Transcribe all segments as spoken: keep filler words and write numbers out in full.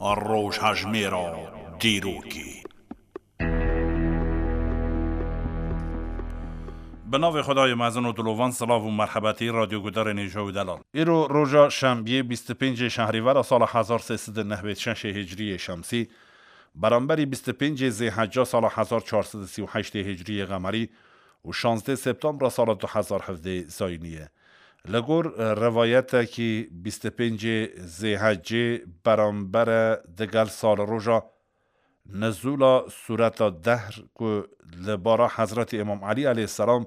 Rojhejmêra dîrokê. Bi navê Xwedayê mezin û dilovan, silav û merhebetî radyogudarên hêja û delal. Îro roja şembiyê bîst û pêncê şehrîvera sala hezar sê sed û nehwêd şeşê hicriyê şemsî, beramberî bîst û pêncê zêhecca sala hezar çar sed û sî û heştê hicriyê qemerî û şazdê septembra sala du hezar hevdê zayînî ye. Li gor, e, rivayetekî bîst û pêncê zêhecê berambere digel sal roja nizûla sûreta Dehr ku li bara Hezretî Îmam Elî aleyhisselam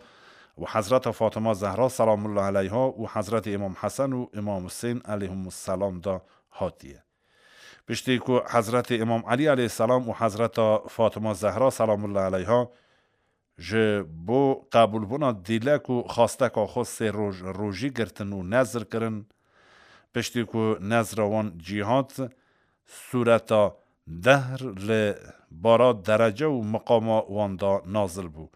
û Hezreta Fatima Zehra selamullah aleyha û Hezretî Îmam Hesen û Îmam Husên aleyhimusselam de hatiye. Piştî ku Hezretî Îmam Elî aleyhisselam û Hezreta Fatima Zehra selamullah aleyha ji bo qebûlbûna dîlek û xwasteka xwe sê roj rojî girtin û nezr kirin. Piştî ku nezra wan cî hat, sûreta Dehr li bara derece û miqama wan de nazil bû.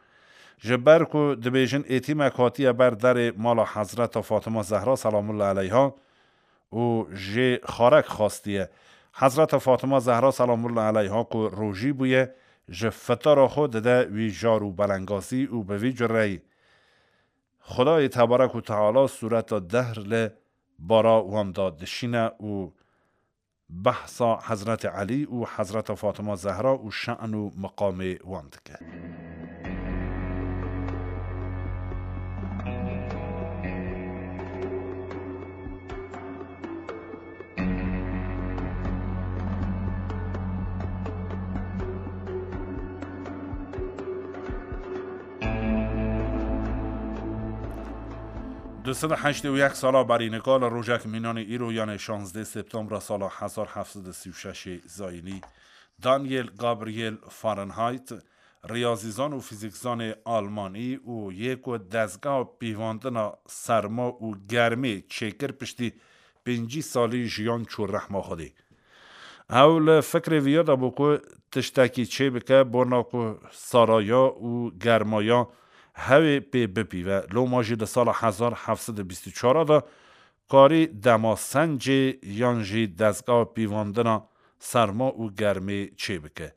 Ji ber ku dibêjin êtîmek hatiye ber derê mala Hezreta Fatima Zehra selamullah aleyha û jê xarek xwastiye. Hezreta Fatima Zehra selamullah aleyha ku rojî bûye, ji fitara xwe dide wî jar û belengazî û bi vî cureyî Xwedayê tebarek û teala sûreta Dehr li bara wan de dişîne û behsa Hezretê Elî û Hezreta Fatima Zehra û şe'n û miqamê wan dike. Du sed û heştê û yek sala berî nika li rojek mînanê îro, yanê şazdê septembra sala hezar heft sed û sî û şeşê zayînî, Daniel Gabriel Fahrenheit, riyazîzan û fîzîkzanê almanî û yê ku dezgeha pîvandina serma û germê çêkir, piştî pêncî salî jiyan çû rehma Xwedê. Ew li fikrê viya de bû ku tiştekî çêbike, bona ku saraya û germaya hewê pê bipîve. Loma jî di sala hezar heft sed û bîst û çar de karî dema sencê yan jî dezgeha pîvandina serma û germê çêbike.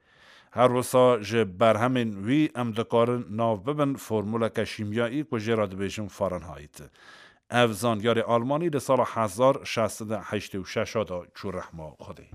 Her wisa ji berhemên wî em dikarin nav bibin formûleke şîmyayî ku jê re dibêjin Fahrenheit. Ev zanyarê almanî li sala hezar şeş sed û heştê û şeş de çû rehma Xwedê.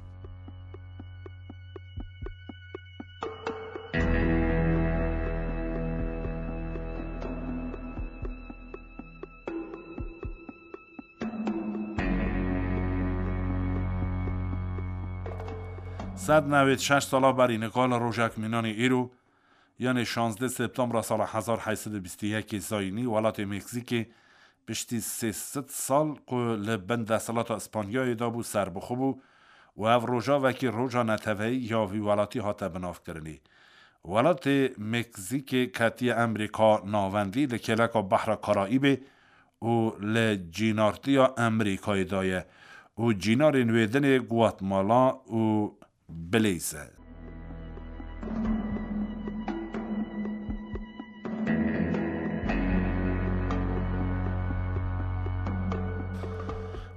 Sed newêd şeş sala berî nika li rojek mînanê îro, yanê şazdeh septembra sala hezar heyt sed û bîst û yekê zayînî, welatê Meksîkê piştî sê sed sal ku li bin desthilata Îspanyayê de bû, serbixwe bû û ev rojavekî roja neteweyî ya vî welatî hate binavkirinê. Welatê Meksîkê ketiye Amerîka Navendî, li kêleka Behra Karayîbê û li cînartiya Amerîkayê de ye û cînarên wê dinê Guatemala û Bilêz e.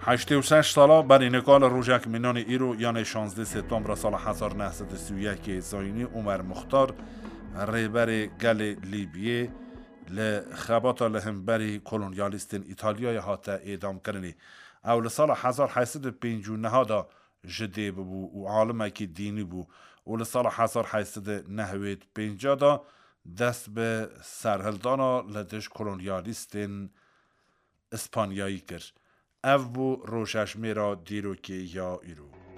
Heştê û şeş sala berî nika li rojek mînanê îro, yanê şazdeh septembra sala hezar neh sed û sî û yekê zayînî, Omer Muxtar, rêberê gelê Lîbiyê, li xebata li hemberî kolonyalîstên Îtalyayê hate êdamkirinê. Ew li sala hezar heyt sed û pêncî û neh de ji dê bibû û alimekî dînî bû û li sala hezar heyt sed û newêd pênc de dest bi serhildana li dij kolonyalîstên Îspanyayî kir. Ev bû rojhejmêra dîrokê ya îro.